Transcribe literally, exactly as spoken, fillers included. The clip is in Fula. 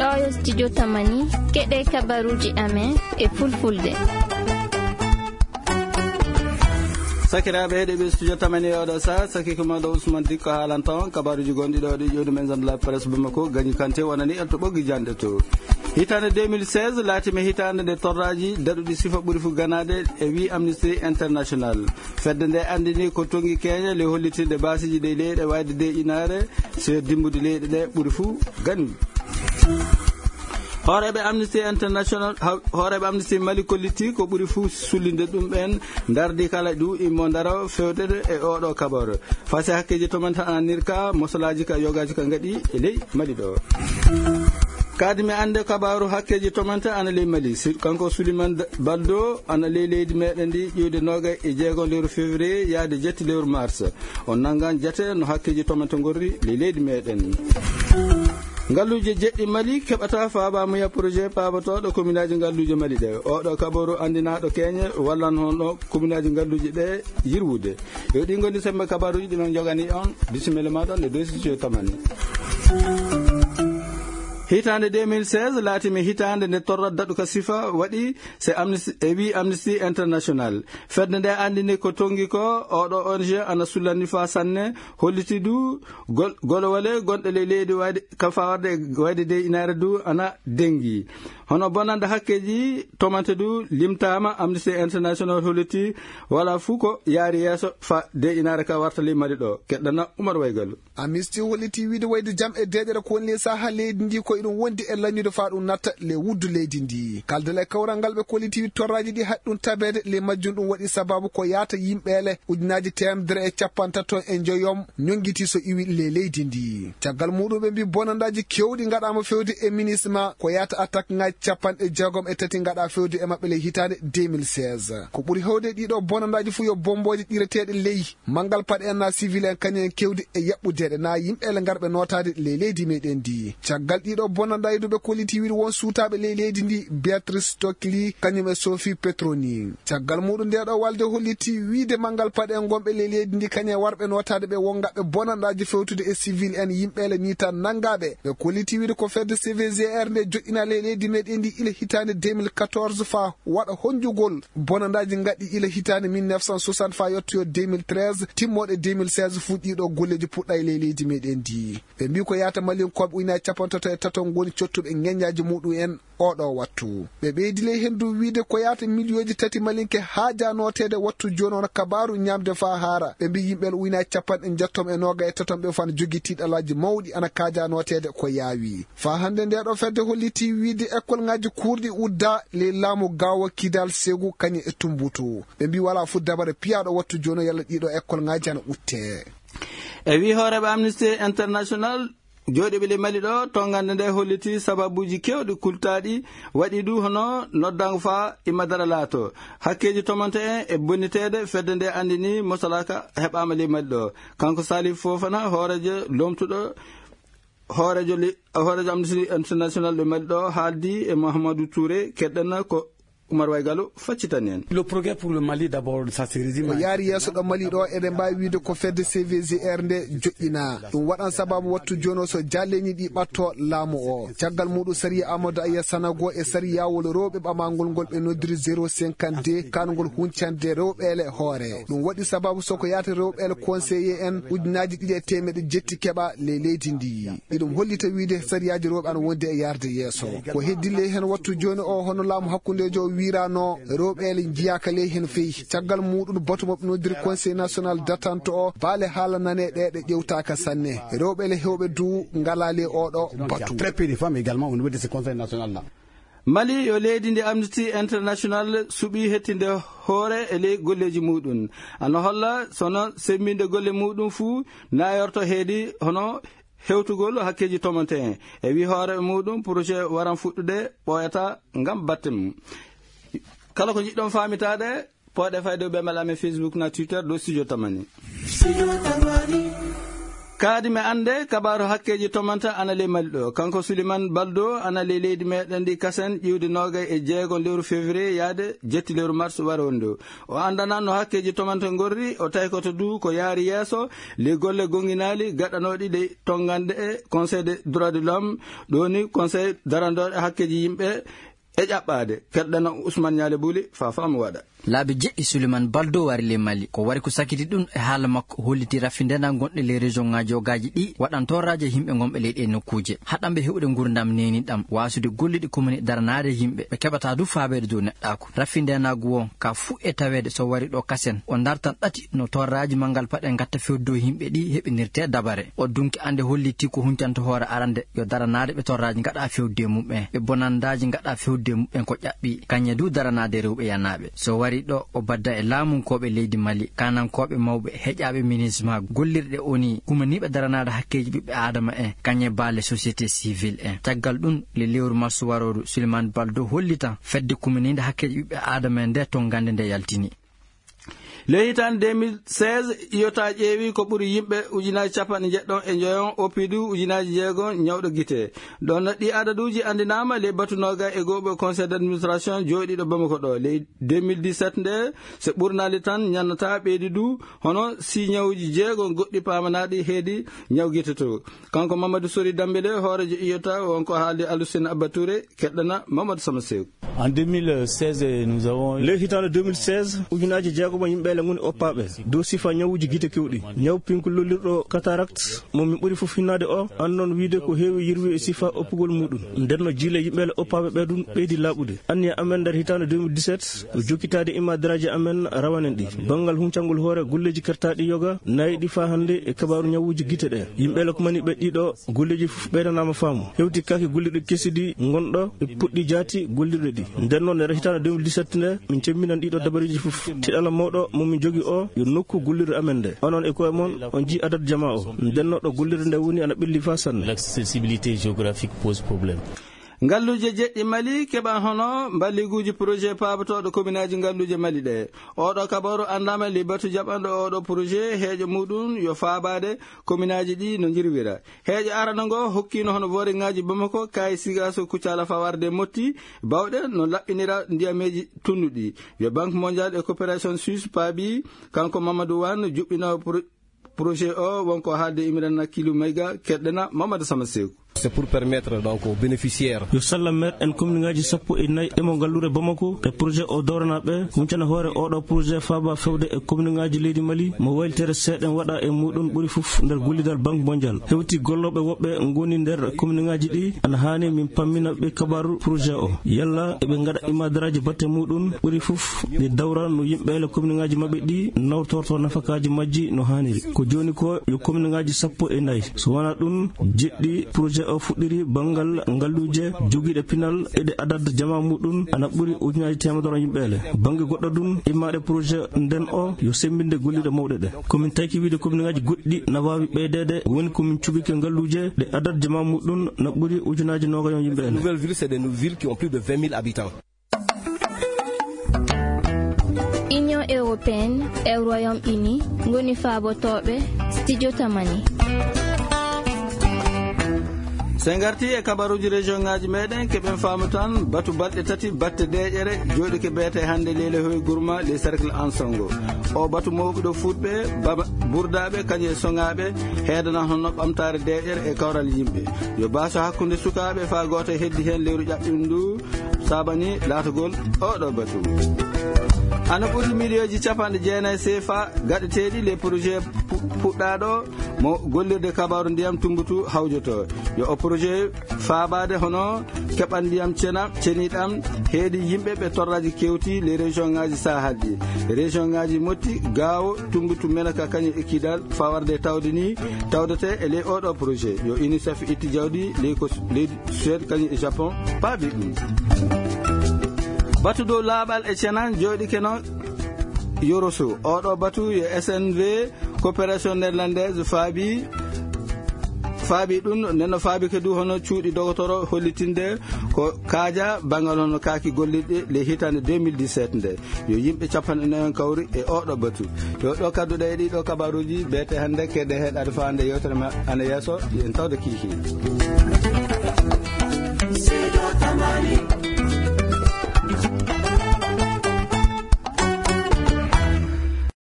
Ɗo yo studio Tamani, keɗe kabaruji amen e fulfulde. Sakiraaɓe heɗeɓe studio Tamani e oɗo sa, saki ko maɗo Ousmane Dikko haalanta on kabaruji gonɗi ɗo ɗi ƴoodi men zande la presse Bamako, Gagnouh Kanté wonani en to ɓoggi jande to. Hitande deux mille seize laatimi hitande nde torraji daɗuɗi sifa ɓuri fu ganade e wi Amnesty International. Fedde nde andini ko tongi keñe le hollitirde basiji ɗe leyɗe wayde de inare, so dimbude leyɗe ɗe ɓuri fu gani. Hooreeɓe Amnesty International, ha-, hooreeɓe Amnesty Mali kolliti ko ɓuri fu sullinde ɗum ɓen ndardi kala ɗu immo ndaro fewtede e oɗo kabor. Fasi hakkeji tomanta ananirka, mosalaji ka yogaji ka ngaɗi e ley Mali ɗo. Kadi mi ande kabaru hakkeji tomanta ana ley Mali. Si-, kanko Souleymane D-, Baldo ana ley leydi meɗen ndi ƴiwde noga e jeego lewru février yaade jetti lewru mars. On nangan jate no hakkeji tomanta gorri ley leydi meɗen. Ngalluje jeɗɗi Mali keɓata faaba muya projet paabotoɗo kominaji ngalluje Mali ɗe. Oɗo kabaru andinaɗo keñe wallan hono kominaji ngalluje ɗe yirwude. Yo ɗi ngoni sembe kabaruji ɗi men jogani on. Bisimilla maɗon e dossier Tamani. Hitande deux mille seize laatimi hitande nde torra daɗuka sifa waɗi se Amnesty, e wi Amnesty International. Fedde nde andini ko tongi ko oɗo O N G ana sullani fa sanne, holliti du gol-, golowale gonɗe ley leydi wayde ka fawarde e wayde de inare du ana dengi. Hono bonande hakkeji tomante du limtama, Amnesty International holliti wala fu ko yaari yeeso fa de inare ka warta ley Mali ɗo. Keɗɗana Oumar Waygalu. Amnesty holliti wiide wayde jam e deeƴere ko woni ley saaha leydi ndi ko iɗum wondi e lañude fa ɗum natta ley wuddu leydi ndi. Kaldal e kawral ngal ɓe kolliti wiide torraji ɗi haɗi ɗum tabeede ley majjum ɗum waɗi sababu ko yaata yimɓeele ujunaji teemedere e capantato e njoyom ñonngiti so iwi ley leydi ndi. Caggal muɗum ɓe mbi bonandaji kewɗi ngaɗama fewde e minisma ko yaata attaque ngaji capanɗe jeegom e tati ngaɗa fewde e maɓɓe ley hitande deux mille seize. Ko ɓuri hewde ɗiɗo bonandaji fu yo bomboji ɗireteɗe ley manngal paɗe en na civil en kañum en kewdi e yaɓɓudeɗe na yimɓe ele ngarɓe notaade ley leydi meɗen ndi. Caggal ɗiɗo bonanɗa e duɓe kolliti wiide won suutaɓe ley leydi ndi, Beatrice Tokli kañum e Sophie Petroni. Caggal muɗum nde ɗo walde holliti wiide manngal paɗe en gonɓe ley leydi ndi kañum e warɓe notaade ɓe wongaɓe bonanɗaji fewtude e civil en yimɓe ele ni tan nanngaɓe. Ɓe kolliti wiide ko fedde C V G R nde joɗɗina ley leydi meɗen ndi ila hitande deux mille quatorze fa waɗa honjugol bonandaji gaɗɗi ila hitande mille neuf cent soixante fa yettoyo deux mille treize, timmoɗe deux mille seize fuɗɗiɗo golleji puɗɗa e ley leydi meɗen ndi. Ɓe mbi ko yata Malinkooɓe ujunaaji capantato e tato ngoni cottuɓe ŋeññaaji muɗum en oɗo wattu. Ɓe ɓeydi ley hen du wiide ko yata miliyoji tati Malinke haaja noteede wattu jooni on kabaru ñamde fa haara. Ɓe mbi yimɓe ujunaaji capanɗe jeegom e noga e tato ɓe fan jogi tiɗalaji mawɗi ana kaaja noteede ko yaawi. Fa hannde nde ɗo fedde holliti wiide école ngaji kurɗi udda ley laamu Gawo Kidal Segu kañum e Tumbutu. Ɓe mbi wala fu dabare piyaɗo wattu jooni yalla ɗiɗo école ngaji ana utte. E wi hooreɓe Amnesty International, jooɗiɓe ley Mali ɗo, tongande nde holliti sababuji kewɗi kultaɗi waɗi du hono noddango fa imadara laato. Hakkeji tomante en e bonniteede fedde nde andini mosalaka heɓama ley Mali ɗo. Kanko Salif Fofana, hoorejo lomtuɗo hoorejo li-, hoorejo Amnesty International ɗo Mali ɗo haaldi e Mouhamadou Touré, keɗɗen ko Oumar Waygalo faccitani en. Le progrès pour le Mali d'abord, ça se résume ko yaari yeeso ɗo Mali ɗo, eɗen mbawi wiide ko fedde C V G R nde joɗɗina. Ɗum waɗan sababu wattu jono so jalleni ɗi ɓatto laamu o. Caggal muɗum sariya Amadou Aya Sanago e sariyawol rewɓe ɓamangol ngol ɓe noddiri zéro cinquante-deux, kanngol huncande rewɓe ele hoore. Ɗum waɗi sababu soko yaata rewɓe ele conseiller en ujunaaji ɗiɗi e teemeɗe jetti keɓa ley leydi ndi. Iɗum hollita wiide sariyaaji rewɓe ana wondi e yarde yeeso. Ko heddi ley hen wattu jooni o, hono laamu hakkundeejo o wiirano, rewɓe ele njiyaaka ley hen feyi. Caggal muɗum batu mo ɓe noddiri Conseil National d'Attente o, baale haala nane ɗe, ɗe ƴewtaaka sanne. Rewɓe ele hewɓe du ngala ley oɗo batu. Très peu de femmes également au niveau de ce Conseil national là. Mali yo leydi ndi Amnesty International suɓi hettinde hoore e ley golleji muɗum. Ana holla sono semminde golle muɗum fuu nayorto heedi hono hewtugol hakkeji tomante'en. E wi hoore muɗum, projet waran fuɗɗude ɓooyata ngam batte mum. Kala ko njiɗɗon faamitaade, pooɗe fayde ɓe mel amen Facebook na Twitter ɗo Studio Tamani. Kaadi mi annde kabaaru hakkeeji tomanta ana ley Mali ɗo. Kanko Suliman Baldo ana ley leydi meɗen ndi kasen ƴiwde noogay e jeego lewru février yaade jetti lewru mars waro ndu. O anndana no hakkeeji tomanta ngorri, o taykoto du ko yaari yeeso ley golle gonginaali gaɗanooɗi ley tonngande e Conseil des droits de l'homme, ɗo ni Conseil darandooɗo hakkeeji yimɓe e ƴaɓɓaade. Keɗɗana Ousmane Ñaale Buli, fa faamu waɗa. Laabi jeɗɗi Suliman Baldo wari ley Mali. Ko wari ko sakiti ɗum e haala makko holliti raffindeena gonɗe ley région ŋaaji jogaaji ɗi waɗan torraaji e yimɓe gonɓe ley ɗee nokkuuje. Haɗanɓe heɓude ngurndam neeniɗam, waasude gollude komini daranaade yimɓe. Ɓe keɓata du faabeede dow neɗɗaaku. Raffindeena gu won ka fuu e taweede so wari ɗo kasen. O dartan ɗati no torraaji manngal paɗe ngatta fewdo yimɓe ɗi heɓinirte dabare. O dunki annde holliti ko huncanto hoore arande yo daranaade ɓe torraaji ngaɗa fewde mumɓe. Ɓe bonandaaji ngaɗa fewde mumɓe ko ƴaɓɓi. Kañe du daranaade rewɓe yanaaɓe. So wari ɗo o badda e laamunkooɓe leydi Mali, kanankooɓe mawɓe, heƴaaɓe minisma, gollirɗe oni, kumaniiɓe daranaade hakkeeji ɓiɓɓe aadama en, kañe baale société civile en. Caggal ɗum, le lewru mars warooru, Suliman Baldo hollitan fedde kumaniinde hakkeeji ɓiɓɓe aadama en nde tonngande nde yaltini. Ley hitaande deux mille seize, iyota ƴeewi ko ɓuri yimɓe ujunaaji capanɗe njeɗɗon e njoyon, oppidu ujunaaji jeego ñawɗo gite. Ɗon ɗi adaduuji anndinaama ley batu nooga e gooɓe conseil d'administration jooɗiiɗo Bamako ɗo. Ley deux mille dix-sept nde, so ɓurnaali tan ñannata ɓeydi du, hono si ñawuji jeego goɗɗi paamanaaɗi heedi ñaw gite to. Kanko Mamadou Sori Dambele, hooreejo iyota, wonko haaldi Alusina Abba Touré, keɗɗana Mamadou Sama Sew. En deux mille seize, nous avons Ley hitaande deux mille seize, ujunaaji jeegom yimɓeele ngoni oppaaɓe dow sifa ñawuji gite kewɗi. Ñaw pinku lollirɗo cataracte, mo min ɓuri fof hinnaade o, annon wiide ko heewi yirwi e sifa oppugol muɗum. Nden no jiile yimɓeele oppaaɓe ɓe ɗum ɓeydi laaɓude. Anniya amen nder hitaande deux mille dix-sept, ko jokkitaade imadiraaji amen rawanen ɗi. Banngal huncangol hoore golleeji kertaaɗi yoga, nayi ɗi faa hannde e kabaaru ñawuji gite ɗe. Yimɓeele kumaniiɓe ɗiɗo golleeji fof ɓeydanaama faamu. Hewti kaake gollirɗe kesi ɗi ngonɗo e puɗɗi jaati gollirɗe ɗi. Nden noon, nder hitaande deux mille dix-sept nde, min cemminan ɗiɗo dabareeji fof. Tiɗala mawɗo mo min jogi o, yo nokku gollirde amen nde. Onon e koye mon, on njii adat jamaa o. Nden no ɗo gollirde nde woni ana ɓelli faa sanne. L'accessibilité géographique pose problème. Ngalluuje jeɗɗi Mali keɓan hono mballiguuji projet paabotooɗo kominaaji ngalluuje Mali ɗe. Oɗo kabaru anndaama ley batu jaɓanɗo oɗo projet heeƴo muɗum yo faabaade kominaaji ɗi no njirwira. Heeƴo arano ngo hokkino hono booringaaji Bamako, Kayi, Sigaso, Kucala faa warde Motti, bawɗe no laɓɓinira ndiyameeji tunnuɗi. Yo Banque Mondiale e Coopération Suisse paabi, kanko Mamadou Wane, juɓɓinoowo pro-, projet o, wonko haalde Imrana Kilu Mayga, keɗɗana Mamadou Sama Seku. C'est pour permettre donc aux bénéficiaires. Yo salla maire en commune ngaaji sappo e nayi ɗemo ngallure Bamako e projet o dowrana ɓe, huncana hoore oɗo projet faaba fewde e commune ngaaji leydi Mali, mo wayltere seeɗen waɗa e muɗum ɓuri fof nder gollidal Banque Mondiale. Hewti gollooɓe woɓɓe ngoni nder commune ngaaji ɗi, ana haani min pammina ɓe kabaaru projet o. Yalla eɓe ngaɗa imadaraaji batte muɗum ɓuri fof ɗi dawra no yimɓe ele commune ngaaji maɓɓe ɗi nawtorto nafakaaji majji no haaniri. Ko jooni ko yo commune ngaaji sappo e nayi. So wonaa ɗum, jeɗɗi projet o fuɗɗiri banngal ngalluuje jogiiɗe pinal e ɗe adad jamaa muɗum ana ɓuri ujunaaji teemedere yimɓe ele. Bannge goɗɗo ɗum, immaaɗe projet nden o yo semmbinde gollirɗe mawɗe ɗe. Ko min tayki wiide commune ngaaji goɗɗi na waawi ɓeydeede, woni ko min cuɓike ngalluuje ɗe adad jamaa muɗum na ɓuri ujunaaji noogayon yimɓe ele. Nouvelle ville, c'est des nou-, villes qui ont plus de vingt mille habitants. Union européenne e Royaume-Uni ngoni faabotooɓe Studio Tamani. So en ngartii e kabaruuji région ngaaji meeɗen, keɓen faamu tan batu balɗe tati batte deeƴere jooɗike beete hannde Leyla Hoy Gourma, les cercles Ansongo. O batu mawɓe ɗo fuɗɓe, baba, burdaaɓe, kañum e soŋaaɓe, heedana hono ɓamtaare deeƴere e kawral yimɓe. Yo baaso hakkunde sukaaɓe faa gooto heddi heen lewru ƴaɓɓindu, saabani laatagol oɗo batu. Ana ɓuri miliyonji capanɗe jeenayi C F A gaɗeteeɗi le projet pu-, puɗɗaaɗo mo gollirde kabaaru ndiyam Tumbutu hawjoto. Yo o projet faabaade hono keɓal ndiyam cena, ceniɗam, heedi yimɓe ɓe torraaji kewti le région ngaaji Sahel ɗi. Région ngaaji Motti, Gaawo, Tumbutu, Menaka, kañum e Kidal, faa warde tawde ni, tawdete e ley oɗo projet. Yo UNICEF itti jawdi ley ko s-, leydi Suède kañum e Japon paabi ɗum. Batu dow laaɓal e cenan jooɗike no Yoroso. Oɗo batu yo S N V, Coopération Néerlandaise, faabi, faabi ɗum, nden no faabi kadi hono cuuɗi dogotoro hollitinde Ko kaaja bangal hono kaaki gollirɗi le hitande deux mille dix-sept nde, yo yimɓe capanɗe nayi on kawri e oɗo batu. Yo ɗo kadduɗe e ɗiɗo kabaruji beete hannde keɗe heɗade fawande yewtere ma ana yeeso, en tawde kiiki.